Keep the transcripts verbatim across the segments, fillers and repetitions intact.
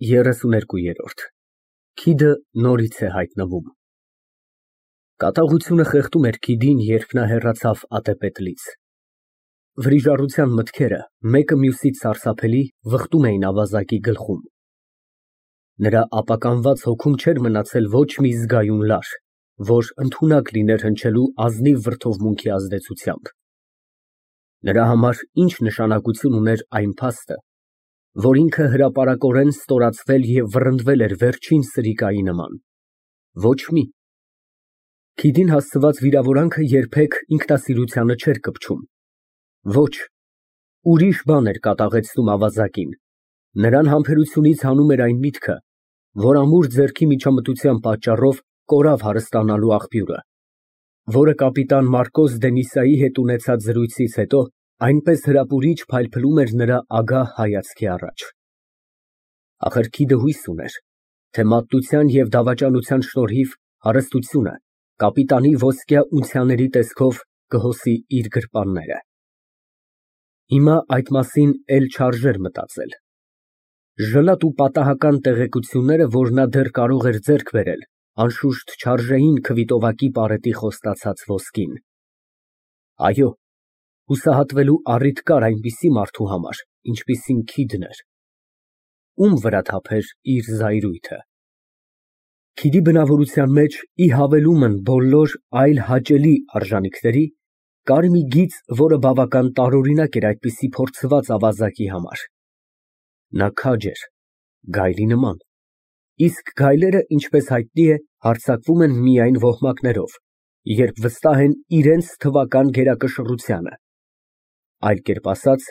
երեսուներկու։ Քիդը նորից է հայտնվում։ Կատաղությունը խեղդում էր քիդին, երբ նա հեռացավ ատեպետլից։ Վրիժառության մտքերը, մեկը մյուսից սարսափելի, վխտում էին ավազակի գլխում։ Նրա ապականված հոգում չէր մնացել ոչ մի զգայուն լար, որ ընդունակ լիներ հնչելու ազնիվ վրդովմունքի ազդեցությամբ։ Նրա համար ինչ նշանակություն ուներ այն փաստը, որ ինքը հրապարակորեն ստորացվել և վռնդվել էր վերջին սրիկայի նման։ Ոչ մի։ Քիդին հասցված վիրավորանքը երբեք ինքնասիրությանը չէր կպչում։ Ոչ, ուրիշ բան էր կատաղեցնում ավազակին, նրան համբերությունից հանում էր այն միտքը, որ ամուր ձեռքի միջամտության պատճառով կորավ հարստանալու աղբյուրը, որը կապիտան Մարկոս Դենիսայի հետ ունեցած զրույցից հետո այնպես հրապուրիչ փայլփլում էր նրա ագահ հայացքի առաջ։ Ախր քիդը հույս ուներ, թե մատության և դավաճանության շնորհիվ հարստությունը կապիտանի ոսկյա ունցիաների տեսքով կհոսի իր գրպանները։ Հիմա այդ մասին էլ չարժեր մտածել։ Ժլատ ու պատահական տեղեկությունները, որ նա դեռ կարող էր ձեռք բերել, անշուշտ չարժեին քվիտովակի պարետի խոստացած ոսկին։ Այո, հուսահատվելու առիթ կար այնպիսի մարդու համար, ինչպիսին քիդն էր։ Ում վրա թափեր իր զայրույթը։ Քիդի բնավորության մեջ, ի հավելումն բոլոր այլ հաճելի արժանիքների, կար մի գիծ, որը բավական տարօրինակ էր այդպիսի փորձված ավազակի համար։ Նա քաջ էր, գայլի նման, իսկ գայլերը, ինչպես հայտնի է, հարձակվում են միայն ոհմակներով, երբ վստահ են իրենց թվական գերակշռությանը։ Այլ կերպ ասած,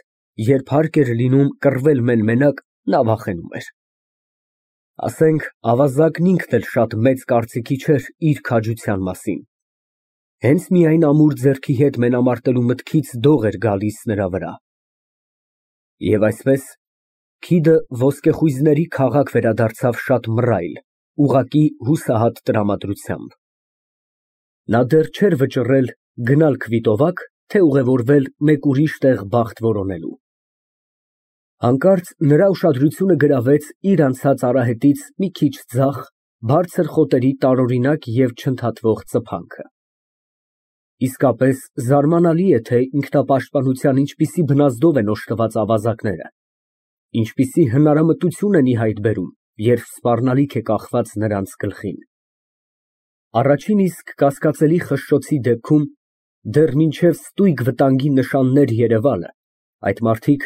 երբ հարկ էր լինում կռվել մեն֊մենակ, նա վախենում էր։ Ասենք, ավազակն ինքն էլ շատ մեծ կարծիքի չէր իր քաջության մասին։ Հենց միայն ամուր ձեռքի հետ մենամարտելու մտքից դող էր գալիս նրա վրա։ Եվ այսպես, քիդը ոսկեխույզների քաղաք վերադարձավ շատ մռայլ, ուղղակի հուսահատ տրամադրությամբ։ Նա դեռ չէր վճռել գնալ քվիտովակ, թե ուղևորվել մեկ ուրիշ տեղ բախտ որոնելու։ Հանկարծ նրա ուշադրությունը գրավեց իր անցած արահետից մի քիչ ձախ, բարձր խոտերի տարօրինակ և չընդհատվող ծփանքը։ Իսկապես զարմանալի է, թե ինքնապաշտպանության ինչպիսի բնազդով են օժտված ավազակները, ինչպիսի հնարամտություն են ի հայտ բերում, երբ սպառնալիք է կախված նրանց գլխին։ Առաջին իսկ կասկածելի խշշոցի դեպքում, դեռ մինչև ստույգ վտանգի նշաններ երևալը, այդ մարդիկ,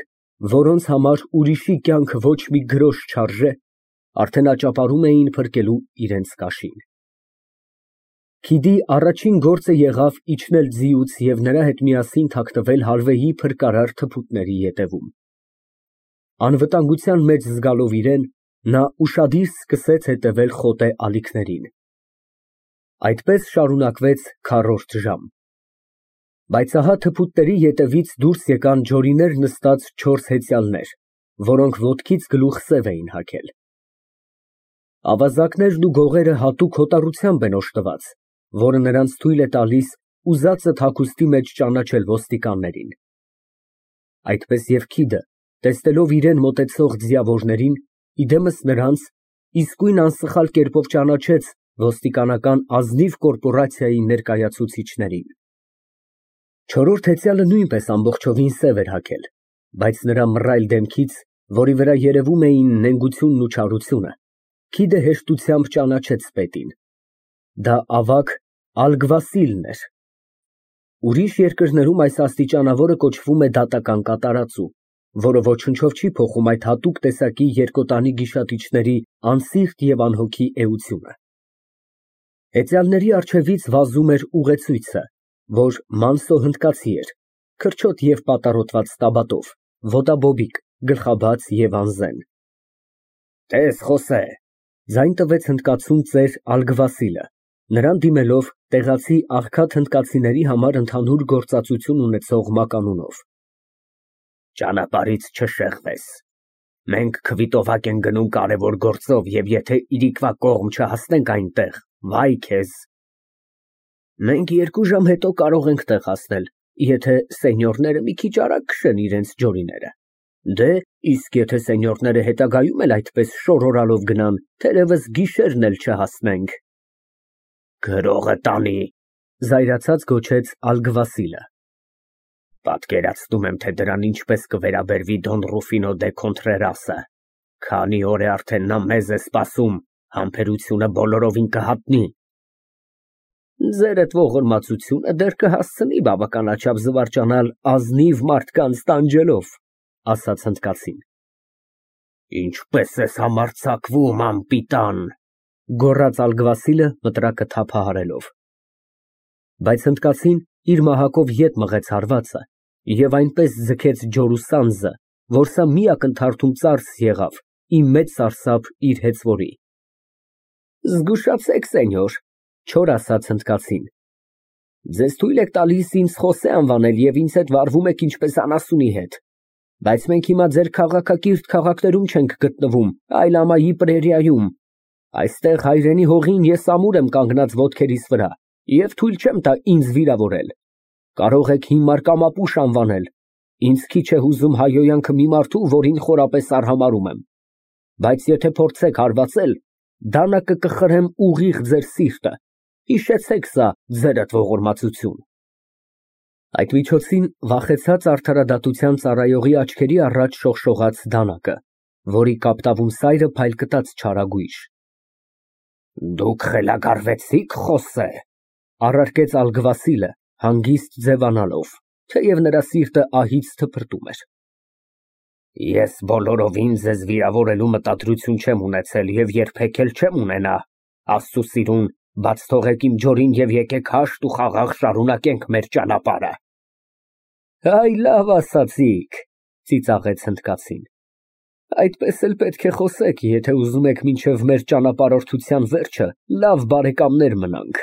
որոնց համար ուրիշի կյանքը ոչ մի գրոշ չարժե, արդեն աճապարում էին փրկելու իրենց կաշին։ Քիդի առաջին գործը եղավ իջնել ձիուց և նրա հետ միասին թաքնվել հալվեի փրկարար թփուտների ետևում։ Անվտանգության մեջ զգալով իրեն, նա ուշադիր սկսեց հետևել խոտե ալիքներին։ Այդպես շարունակվեց քառորդ ժամ։ Բայց ահա թփուտների ետևից դուրս եկան ջորիներ նստած չորս հեծյալներ, որոնք ոտքից գլուխ սև էին հագել։ Ավազակներն ու գողերը հատուկ հոտառությամբ են օժտված, որը նրանց թույլ է տալիս ուզածդ հագուստի մեջ ճանաչել ոստիկաններին։ Այդպես և քիդը, տեսնելով իրան մոտեցող ձիավորներին, իդեմս նրանց, իսկույն անսխալ կերպով ճանաչեց ոստիկանական ազնիվ կորպորացիայի ներկայացուցիչներին։ Չորրորդ հեծյալը նույնպես ամբողջովին սև էր հագել, բայց նրա մռայլ դեմքից, որի վրա երևում էին նենգությունն ու չարությունը, քիդը հեշտությամբ ճանաչեց պետին։ Դա ավագ ալգվասիլն էր։ Ուրիշ երկրներում այս աստիճանավորը կոչվում է դատական կատարածու, որը ոչնչով չի փոխում այդ հատուկ տեսակի երկոտանի գիշատիչների անսիրտ և անհոգի էությունը։ Հեծյալների առջևից վազում էր ուղեցույցը, որ մանսո հնդկացի էր, քրչոտ և պատառոտված տաբատով, ոտաբոբիկ, գլխաբաց և անզեն։ Տես, Խոսե, ձայն տվեց հնդկացուն ծեր ալգվասիլը, նրան դիմելով տեղացի աղքատ հնդկացիների համար ընդհանուր գործածություն ունեցող մականունով։ Ճանապարհից չշեղվես, մենք քվիտովակ ենք գնում կարևոր գործով և եթե իրիկվա կողմ չհասնենք այնտեղ, վայ քեզ։ Մենք երկու ժամ հետո կարող ենք տեղ հասնել, եթե սենյորները մի քիչ արագ քշեն իրենց ջորիները։ Դե, իսկ եթե սենյորները հետագայում էլ այդպես շորորալով գնան, թերևս գիշերն էլ չհասնենք։ Գրողը տանի, զայրացած գոչեց Ալգվասիլը։ Պատկերացնում եմ, թե դրան ինչպես կվերաբերվի Դոն Ռուֆինո դե Քոնտրերասը, քանի օր է արդեն նա մեզ է սպասում, համբերությունը բոլորովին կհատնի։ Ձերդ ողորմածությունը դեռ կհասցնի բավականաչափ զվարճանալ ազնիվ մարդկանց տանջելով, ասաց հնդկացին։ Ինչպես ես համարձակվում, անպիտան, գոռաց Ալգվասիլը մտրակը թափահարելով։ Բայց հնդկացին իր մահակով ետ մղեց հարվածը և այնպես ձգեց ջորու սանձը, որ սա մի ակնթարթում ծարս եղավ, ի մեծ սարսափ իր հեծվորի։ Զգուշացեք, սենյոր, չոր ասաց հնդկացին։ Ձեզ թույլ եք տալիս ինձ Խոսե անվանել և ինձ հետ վարվում եք ինչպես անասունի հետ, բայց մենք հիմա ձեր քաղաքակիրթ քաղաքներում չենք գտնվում, այլ ամայի պրերիայում։ Այստեղ հայրենի հողին ես ամուր եմ կանգնած ոտքերիս վրա և թույլ չեմ տա ինձ վիրավորել։ Կարող եք հիմար կամ ապուշ անվանել, ինձ քիչ է հուզում հայհոյանքը մի մարդու, որին խորապես արհամարհում եմ, բայց եթե փորձեք հարվածել, դանակը կխրեմ ուղիղ ձեր սիրտը, հիշեցեք սա, ձերդ ողորմածություն։ Այդ միջոցին վախեցած արդարադատության ծառայողի աչքերի առաջ շողշողաց դանակը, որի կապտավուն սայրը փայլկտաց չարագույժ։ Դուք խելագարվեցի՞ք, Խոսե, առարկեց Ալգվասիլը, հանգիստ ձևանալով, թեև նրա սիրտը ահից թփրտում էր։ Ես բոլորովին ձեզ վիրավորելու մտադրություն չեմ ունեցել և երբեք էլ չեմ ունենա, Աստծու սիրուն, բաց թողեք իմ ջորին և եկեք հաշտ ու խաղաղ շարունակենք մեր ճանապարհը։ Այ լավ ասացիք, ծիծաղեց հնդկացին։ Այդպես էլ պետք է խոսեք, եթե ուզում եք մինչև մեր ճանապարհորդության վերջը լավ բարեկամներ մնանք։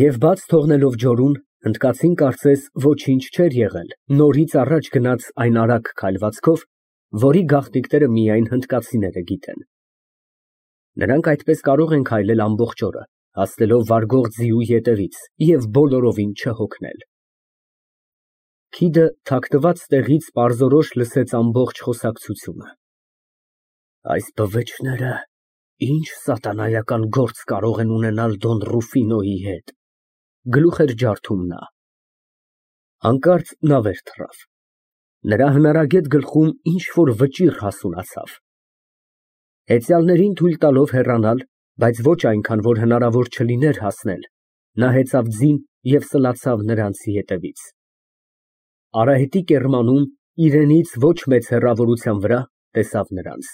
Եվ բաց թողնելով ջորուն, հնդկացին կարծես ոչինչ չէր եղել, նորից առաջ գնաց այն արագ քայլվածքով, որի գաղտնիքները միայն հնդկացիները գիտեն։ Նրանք այդպես կարող են քայլել ամբողջ օրը, հասնելով վարգող ձիու ետևից և բոլորովին չհոգնել։ Քիդը թաքնված տեղից պարզորոշ լսեց ամբողջ խոսակցությունը։ Այս բվեճները ինչ սատանայական գործ կարող են ունենալ Դոն Ռուֆինոյի հետ, գլուխ էր ջարդում նա։ Հանկարծ նա վեր թռավ։ Նրա հնարագետ գլխում ինչ֊որ վճիռ հասունացավ։ Հեծյալներին թույլ տալով հեռանալ, բայց ոչ այնքան, որ հնարավոր չլիներ հասնել, նա հեծավ ձին և սլացավ նրանց ետևից։ Արահետի կեռմանում, իրենից ոչ մեծ հեռավորության վրա, տեսավ նրանց։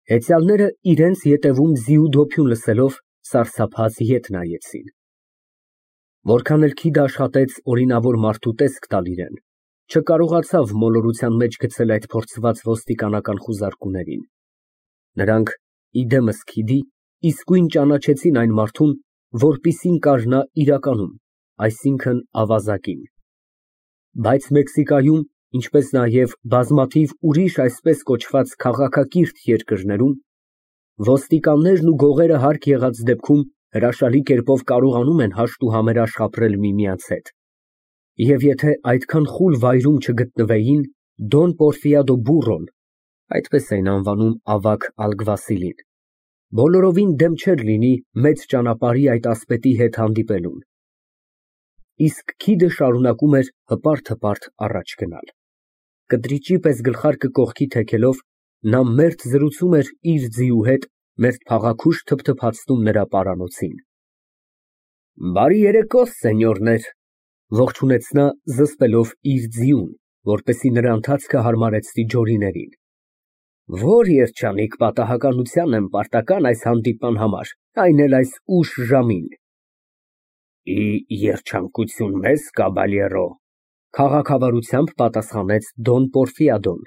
Հեծյալները իրենց ետևում ձիու դոփյուն լսելով, սարսափած ետ նայեցին։ Որքան էլ Քիդը աշխատեց օրինավոր մարդու տեսք տալ իրան, չկարողացավ մոլորության մեջ գցել այդ փորձված ոստիկանական խուզարկուներին։ Նրանք, ի դեմս Քիդի, իսկույն ճանաչեցին այն մարդուն, որպիսին կար նա իրականում, այսինքն ավազակին։ Բայց Մեքսիկայում, ինչպես նաև բազմաթիվ ուրիշ այսպես կոչված քաղաքակիրթ երկրներում, ոստիկաններն ու գողերը հարկ եղած դեպքում հրաշալի կերպով կարողանում են հաշտ ու համերաշխ ապրել միմյանց հետ, և եթե այդքան խուլ վայրում չգտնվեին, Դոն Պորֆիադո Բուրոն, այդպես էին անվանում ավագ Ալգվասիլին, բոլորովին դեմ չէր լինի մեծ ճանապարհի այդ ասպետի հետ հանդիպելուն։ Իսկ Քիդը շարունակում էր հպարտ֊հպարտ առաջ գնալ։ Կտրիճի պես գլխարկը կողքի թեքելով, նա մերթ զրուցում էր իր ձիու հետ, մերթ փաղաքուշ թփթփացնում նրա պարանոցին։ Բարի երեկո, սենյորներ, ողջունեց նա, զսպելով իր ձիուն, որպեսզի նրա ընթացքը հարմարեցնի ջորիներին։ Որ երջանիկ պատահականության եմ պարտական այս հանդիպման համար, այն էլ այս ուշ ժամին։ Ի երջանկություն մեզ, կաբալյերո, քաղաքավարությամբ պատասխանեց Դոն Պորֆիադոն։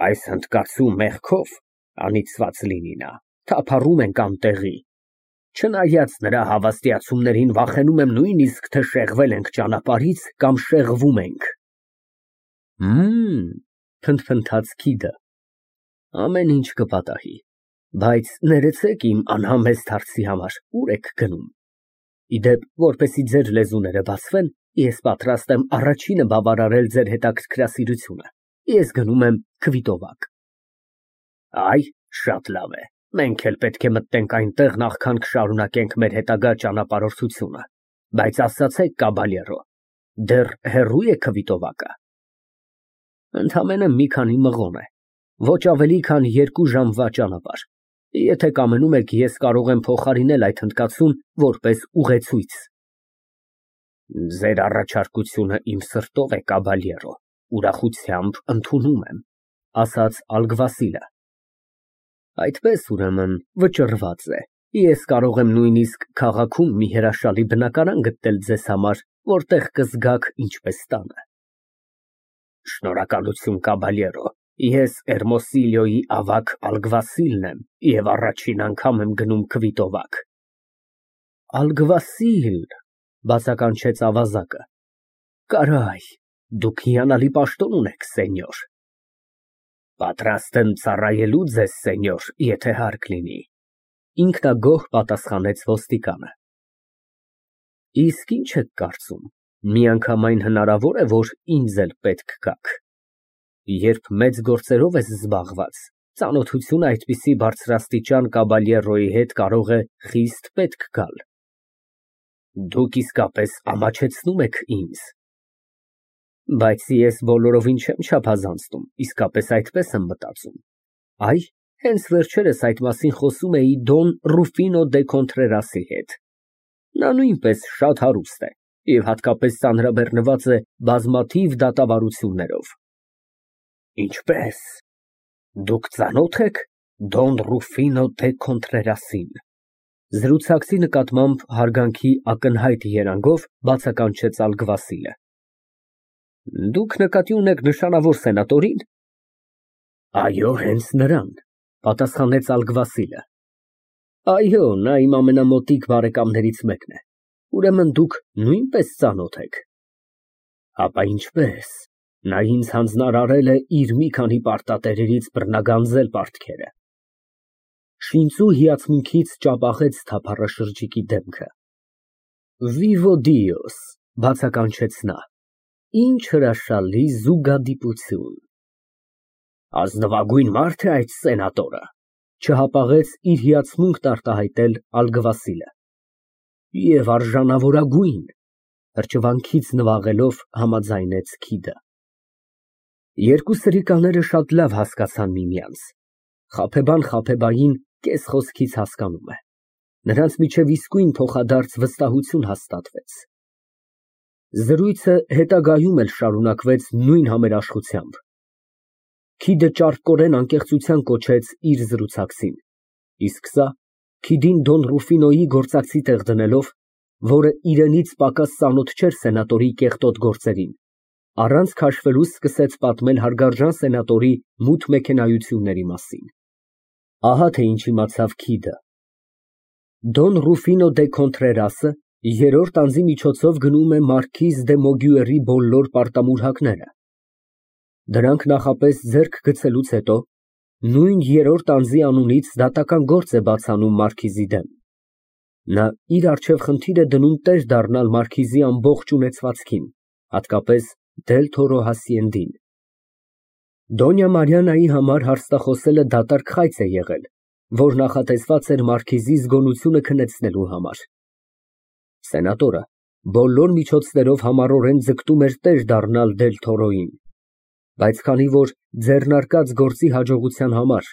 Այս հնդկացու մեղքով, անիծված լինի նա, թափառում ենք անտեղի։ Չնայած նրա հավաստիացումներին վախենում եմ նույնիսկ, թե շեղվել ենք ճանապարհից կամ շեղվում ենք։ Հըմ, փնթփնթաց Քիդը։ Ամեն ինչ կպատահի, բայց ներեցեք իմ անհամեստ հարցի համար, ուր եք գնում։ Իդեպ, որպեսզի ձեր լեզուները բացվեն, ես պատրաստ եմ առաջինը բավարարել ձեր հետաքրքրասիրությունը։ Ես գնում եմ քվիտովակ։ Այ, շատ լավ է։ Մենք էլ պետք է մտնենք այնտեղ, նախքան կշարունակենք մեր հետագա ճանապարհորդությունը։ Բայց ասացեք, կաբալյերո, դեռ հեռո՞ւ է քվիտովակը։ Ընդամենը մի քանի մղոն է, ոչ ավելի, քան երկու ժամվա ճանապարհ։ Եթե կամենում եք, ես կարող եմ փոխարինել այդ հնդկացուն որպես ուղեցույց։ Ձեր առաջարկությունը իմ սրտով է, կաբալյերո, ուրախությամբ ընդունում եմ, ասաց Ալգվասիլը։ Այդպես, ուրեմն, վճռված է։ Ես կարող եմ նույնիսկ քաղաքում մի հրաշալի բնակարան գտնել ձեզ համար, որտեղ կզգաք ինչպես տանը։ Շնորհակալություն, կաբալյերո, ես Էրմոսիլիոյի ավագ Ալգվասիլն եմ և առաջին անգամ եմ գնում քվիտովակ։ Ալգվասիլ, բացականչեց ավազակը։ Կարայ, դուք հիանալի պաշտոն ունեք, սենյոր։ Պատրաստ եմ ծառայելու ձեզ, սենյոր, եթե հարկ լինի, ինքնագոհ պատասխանեց ոստիկանը։ Իսկ ինչ եք կարծում, միանգամայն հնարավոր է, որ ինձ էլ պետք գաք։ Երբ մեծ գործերով ես զբաղված, ծանոթությունը այդպիսի բարձրաստիճան կաբալյերոյի հետ կարող է խիստ պետք գալ։ Դուք իսկապես ամաչեցնում եք ինձ։ Բայց ես բոլորովին չեմ չափազանցնում, իսկապես այդպես եմ մտածում։ Այ, հենց վերջերս այդ մասին խոսում էի Դոն Ռուֆինո դե Կոնտրերասի հետ։ Նա նույնպես շատ հարուստ է և հատկապես ծանրաբեռնված է բազմաթիվ դատավարություններով։ Ինչպե՞ս, դուք ծանո՞թ եք Դոն Ռուֆինո դե Կոնտրերասին։ Զրուցակցի նկատմամբ հարգանքի ակնհայտ երանգով բացականչեց Ալգվասիլը։ Դուք նկատի ունեք նշանավոր սենատորին։ Այո, հենց նրան, պատասխանեց Ալգվասիլը։ Այո, նա իմ ամենամոտիկ բարեկամներից մեկն է։ Ուրեմն դուք նույնպես ծանոթ եք։ Հապա ինչպես, նա ինձ հանձնարարել է իր մի քանի պարտատերերից բռնագանձել պարտքերը։ Շինծու հիացմունքից ճապաղեց թափառաշրջիկի դեմքը։ Vivo Dios, բացականչեց նա, ինչ հրաշալի զուգադիպություն։ Ազնվագույն մարդ է այդ սենատորը, չհապաղեց իր հիացմունքն արտահայտել Ալգվասիլը։ Եվ արժանավորագույն, հրճվանքից նվաղելով համաձայնեց Քիդը։ Երկու սրիկաները շատ լավ հասկացան միմյանց։ Խաբեբան Խաբեբային կես խոսքից հասկանում է։ Նրանց միջև իսկույն փոխադարձ վստահություն հաստատվեց։ Զրույցը հետագայում էլ շարունակվեց նույն համերաշխությամբ։ Քիդը ճարպկորեն անկեղծության կոչեց իր զրուցակցին, իսկ սա Քիդին Դոն Ռուֆինոյի գործակցի տեղ դնելով, որը իրենից պակաս ծանոթ չէր սենատորի կեղտոտ գործերին, առանց քաշվելու սկսեց պատմել հարգարժան սենատորի մութ մեքենայությունների մասին։ Ահա թե ինչ իմացավ Քիդը։ Դոն Ռուֆինո դե Կոնտրերասը երրորդ անձի միջոցով գնում է մարքիզ դե Մոգյուերի բոլոր պարտամուրհակները։ Դրանք նախապես ձեռք գցելուց հետո նույն երրորդ անձի անունից դատական գործ է բաց անում մարքիզի դեմ։ Նա իր առջև խնդիր է դնում տեր դառնալ մարքիզի ամբողջ ունեցվածքին, հատկապես Դել Թորո հասիենդին։ Դոնյա Մարիանայի համար հարցախոսելը դատարկ խայծ է եղել, որ նախատեսված էր մարքիզի զգոնությունը քնեցնելու համար։ Սենատորը բոլոր միջոցներով համառորեն ձգտում էր տեր դառնալ Դել Թորոյին, բայց քանի որ ձեռնարկած գործի հաջողության համար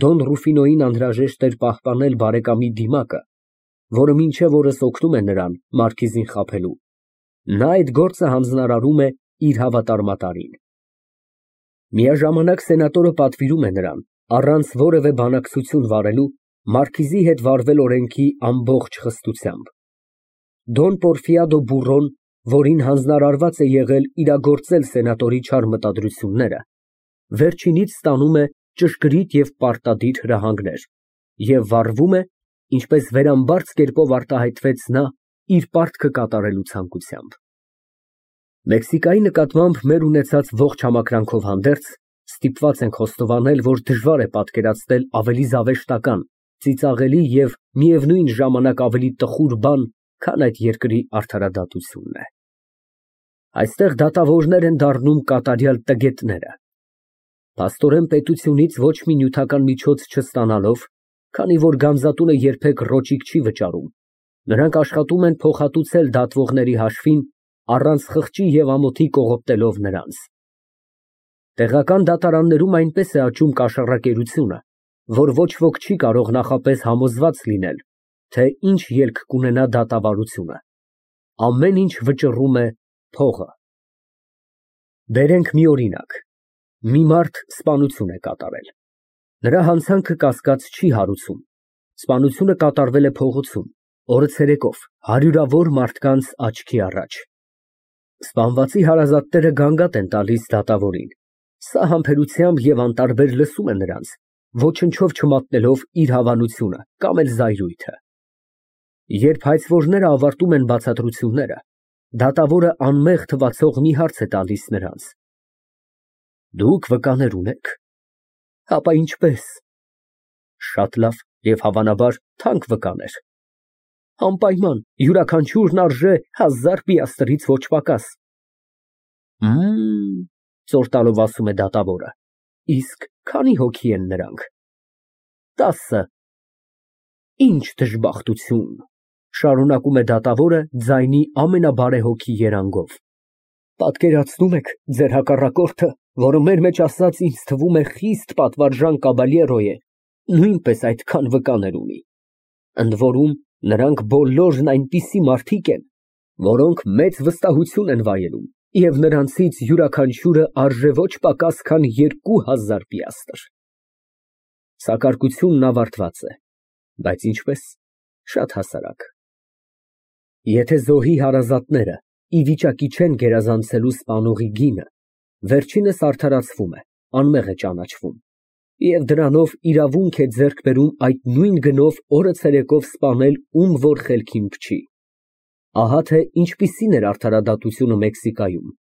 Դոն Ռուֆինոյին անհրաժեշտ էր պահպանել բարեկամի դիմակը, որը մինչև օրս օգնում է նրան մարքիզին խաբելու, նա այդ գործը հանձնարարում է իր հավատարմատարին։ Միաժամանակ սենատորը պատվիրում է նրան, առանց որևէ բանակցություն վարելու, մարքիզի հետ վարվել օրենքի ամբողջ խստությամբ։ Դոն Պորֆիադո Բուրոն, որին հանձնարարված է եղել իրագործել սենատորի չար մտադրությունները, վերջինից ստանում է ճշգրիտ և պարտադիր հրահանգներ և վարվում է, ինչպես վերամբարձ կերպով արտահայտվեց նա, իր պարտքը կատարելու ցանկությամբ։ Մեքսիկայի նկատմամբ մեր ունեցած ողջ համակրանքով հանդերձ, ստիպված ենք խոստովանել, որ դժվար է պատկերացնել ավելի զավեշտական, ծիծաղելի և միևնույն ժամանակ ավելի տխուր բան, քան այդ երկրի արդարադատությունն է։ Այստեղ դատավորներ են դառնում կատարյալ տգետները, Փաստորեն պետությունից ոչ մի նյութական միջոց չստանալով, քանի որ գանձատունը երբեք ռոճիկ չի վճարում, նրանք աշխատում են փոխհատուցել դատվողների հաշվին, առանց խղճի և ամոթի կողոպտելով նրանց։ Տեղական դատարաններում այնպես է աճում կաշառակերությունը, որ ոչ ոք չի կարող նախապես համոզված լինել, թե ինչ ելք կունենա դատավարությունը։ Ամեն ինչ վճռում է փողը։ Բերենք մի օրինակ. մի մարդ սպանություն է կատարել։ Նրա հանցանքը կասկած չի հարուցում։ Սպանությունը կատարվել է փողոցում, օրը ցերեկով, հարյուրավոր մարդկանց աչքի առաջ։ Սպանվածի հարազատները գանգատ են տալիս դատավորին։ Սա համբերությամբ և անտարբեր լսում է նրանց, ոչնչով չմատնելով իր հավանությունը կամ էլ զայրույթը։ Երբ հայցվորները ավարտում են բացատրությունները, դատավորը անմեղ թվացող մի հարց է տալիս նրանց. Դուք վկաներ ունե՞ք։ Հապա ինչպե՞ս։ Շատ լավ և հավանաբար թանկ վկաներ։ Անպայման, յուրաքանչյուրն արժե հազար պիաստրից ոչ պակաս։ Մմ, ծոր տալով ասում է դատավորը, իսկ քանի՞ հոգի են նրանք։ Տասը։ Ինչ դժբախտություն, շարունակում է դատավորը ձայնի ամենաբարեհոգի երանգով։ Պատկերացնո՞ւմ եք ձեր հակառակորդը, որը մեր մեջ ասած ինձ թվում է խիստ պատվարժան կաբալյերո է, նույնպես այդքան վկաներ ունի։ Ընդ որում, նրանք բոլորն այնպիսի մարդիկ են, որոնք մեծ վստահություն են վայելում, և նրանցից յուրաքանչյուրը արժե ոչ պակաս, քան երկու հազար պիաստր։ Սակարկությունն ավարտված է, բայց ինչպես, շատ հասարակ։ Եթե զոհի հարազատները ի վիճակի չեն գերազանցելու սպանողի գինը, վերջինս արդարացվում է, անմեղ է ճանաչվում, և դրանով իրավունք է ձեռք բերում այդ նույն գնով օրը ցերեկով սպանել ում որ խելքին փչի։ Ահա թե ինչպիսին էր արդարադատությունը Մեքսիկայում։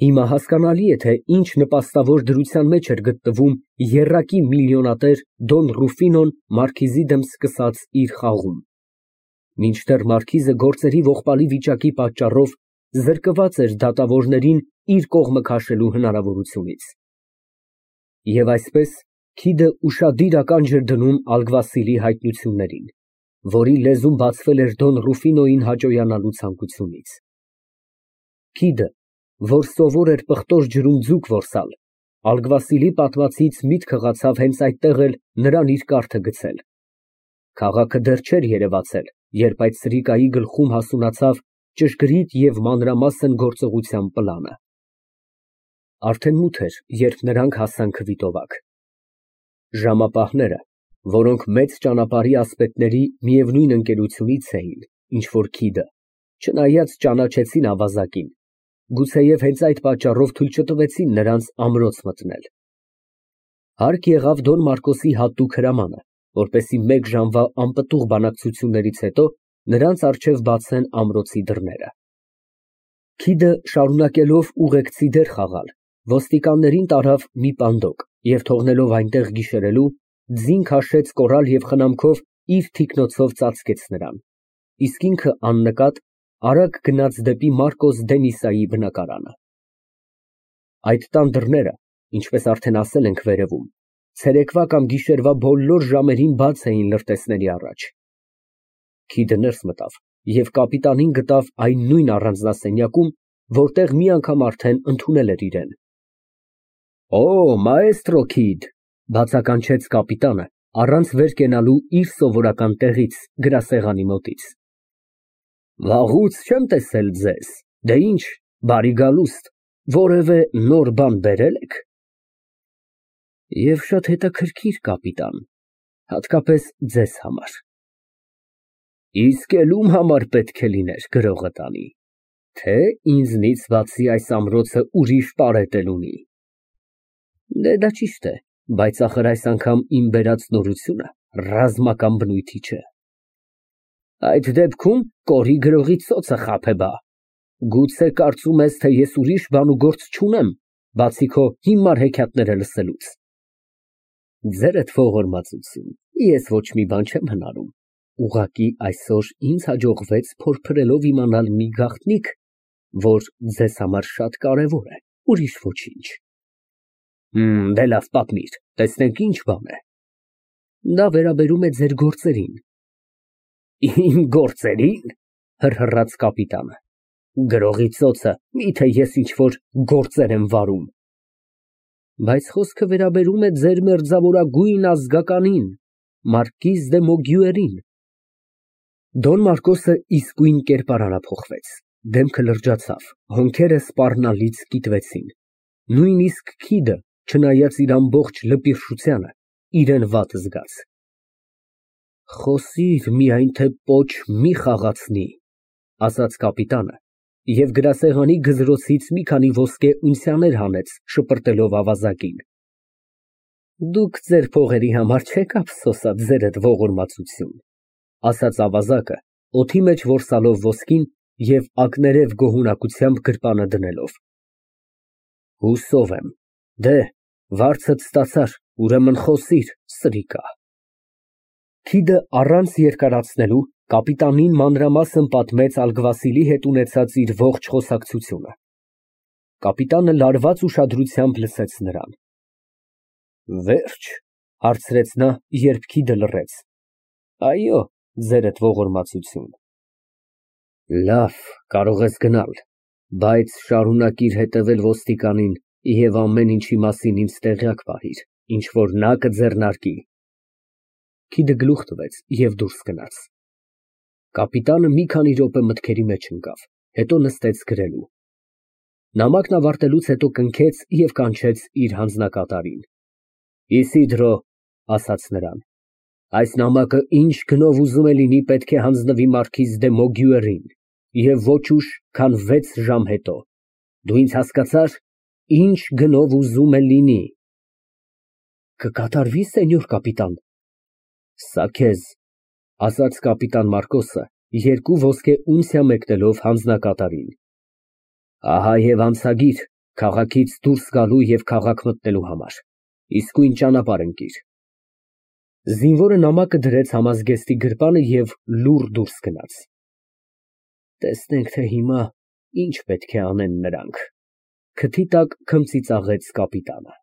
Հիմա հասկանալի է, թե ինչ նպաստավոր դրության մեջ էր գտնվում եռակի միլիոնատեր Դոն Ռուֆինոն մարքիզի դեմ սկսած իր խաղում։ Մինչդեռ մարքիզը գործերի ողբալի վիճակի պատճառով զրկված էր դատավորներին իր կողմը քաշելու հնարավորությունից։ Եվ այսպես քիդը ուշադիր ականջ էր դնում ալգվասիլի հայտնություններին, որի լեզուն բացվել էր Դոն Ռուֆինոյին հաճոյանալու ցանկությունից։ Քիդը, որ սովոր էր պղտոր ջրում ձուկ որսալ, ալգվասիլի պատմածից միտքը հղացավ հենց այդտեղ էլ նրան իր կառքը գցել։ Քաղաքը դեռ չէր երևացել, երբ այդ սրիկայի գլխում հասունացավ ճշգրիտ և մանրամասն գործողության պլանը։ Արդեն մութ էր, երբ նրանք հասան Քվիտովակ։ Ժամապահները, որոնք մեծ ճանապարհի ասպետների միևնույն ընկերությունից էին, ինչ որ քիդը, չնայած ճանաչեցին ավազակին, գուցեև հենց այդ պատճառով թույլ չտվեցին նրանց ամրոց մտնել։ Հարկ եղավ Դոն Մարկոսի հատուկ հրամանը, որպեսզի մեկ ժամվա անպտուղ բանակցություններից հետո նրանց առջև բացեն ամրոցի դռները։ Քիդը, շարունակելով ուղեկցի դեր խաղալ, ոստիկաններին տարավ մի պանդոկ և թողնելով այնտեղ գիշերելու, ձին քաշեց կոռալ և խնամքով իր թիկնոցով ծածկեց նրան, իսկ ինքը աննկատ արագ գնաց դեպի Մարկոս Դեմիսայի բնակարանը։ Այդ տան դռները, ինչպես արդեն ասել ենք վերևում, ցերեկվա կամ գիշերվա բոլոր ժամերին բաց էին լրտեսների առաջ։ Քիդը ներս մտավ և կապիտանին գտավ այն նույն առանձնասենյակում, որտեղ մի անգամ արդեն ընդունել էր իրեն։ Օ, մաեստրո Քիդ, բացականչեց կապիտանը, առանց վեր կենալու իր սովորական տեղից, գրասեղանի մոտից։ Վաղուց չեմ տեսել ձեզ, դե ինչ, բարի գալուստ, որևէ նոր բան բերել եք։ Եվ շատ հետաքրքիր, կապիտան, հատկապես ձեզ համար։ Իսկ էլ ում համար պետք է լիներ գրողը տանի, թե ինձնից բացի այս ամրոցը ուրիշ պարետ էլ ունի։ Դե դա ճիշտ է, բայց ախր այս անգամ իմ բերած նորությունը ռազմական բնույթի չէ։ Այդ դեպքում կորի գրողի ծոցը խաբե բա։ Գուցե կարծում ես, թե ես ուրիշ բան ու գործ չունեմ, բացի քո հիմար հեքիաթները լսելուց։ Ձերդ ողորմածություն, ես ոչ մի բան չեմ հնարում, ուղղակի այսօր ինձ հաջողվեց փորփրելով իմանալ մի գաղտնիք, որ ձեզ համար շատ կարևոր է, ուրիշ ոչինչ։ Դե լավ, պատմիր, տեսնենք ինչ բան է։ Դա վերաբերում է ձեր գործերին։ Իմ գործերին, հռհռաց կապիտանը, գրողի ծոցը, միթե ես ինչ-որ գործեր եմ վարում։ Բայց խոսքը վերաբերում է ձեր մերձավորագույն ազգականին, մարկիզ դե Մոգյուերին։ Դոն Մարկոսը իսկույն կերպարանափոխվեց, դեմքը լրջացավ, հոնքերը սպառնալից կիտվեցին, նույնիսկ քիդը, չնայած իր ամբողջ լպիրշությանը, իրան վատ զգաց։ Խոսիր, միայն թե պոչ մի խաղացնի, ասաց կապիտանը և գրասեղանի գզրոցից մի քանի ոսկե ունցիաներ հանեց, շպրտելով ավազակին։ Դուք ձեր փողերի համար չեք ափսոսած ձերդ ողորմածություն, ասաց ավազակը, օդի մեջ որսալով ոսկին և ակներև գոհունակությամբ գրպանը դնելով։ Հուսով եմ, դե, վարձդ ստացար, ուրեմն խոսիր, սրիկա։ Քիդը առանց երկարացնելու կապիտանին մանրամասն պատմեց ալգվասիլի հետ ունեցած իր ողջ խոսակցությունը։ Կապիտանը լարված ուշադրությամբ լսեց նրան։ Վերջ, հարցրեց նա, երբ քիդը լռեց։ Այո, ձերդ ողորմածություն։ Լավ, կարող ես գնալ, բայց շարունակիր հետևել ոստիկանին և ամեն ինչի մասին ինձ տեղյակ պահիր, ինչ որ նա կձեռնարկի։ Քիդը գլուխ տվեց և դուրս գնաց։ Կապիտանը մի քանի րոպե մտքերի մեջ ընկավ, հետո նստեց գրելու։ Նամակն ավարտելուց հետո կնքեց և կանչեց իր հանձնակատարին։ Իսիդրո, ասաց նրան, այս նամակը ինչ գնով ուզում է լինի պետք է հանձնվի մարքիզ դե Մոգյուերին և ոչ ուշ, քան վեց ժամ հետո, դու ինձ հասկացա՞ր, ինչ գնով ուզում է լինի։ Կկատարվի, սենյոր կապիտան։ Սա քեզ, ասաց կապիտան Մարկոսը, երկու ոսկե ունցիա մեկնելով հանձնակատարին։ Ահա և անցագիր քաղաքից դուրս գալու և քաղաք մտնելու համար, իսկույն ճանապարհ ընկիր։ Զինվորը նամակը դրեց համազգեստի գրպանը և լուռ դուրս գնաց։ Տեսնենք, թե հիմա ինչ պետք է անեն նրանք, քթի տակ քմծիծաղեց կապիտանը։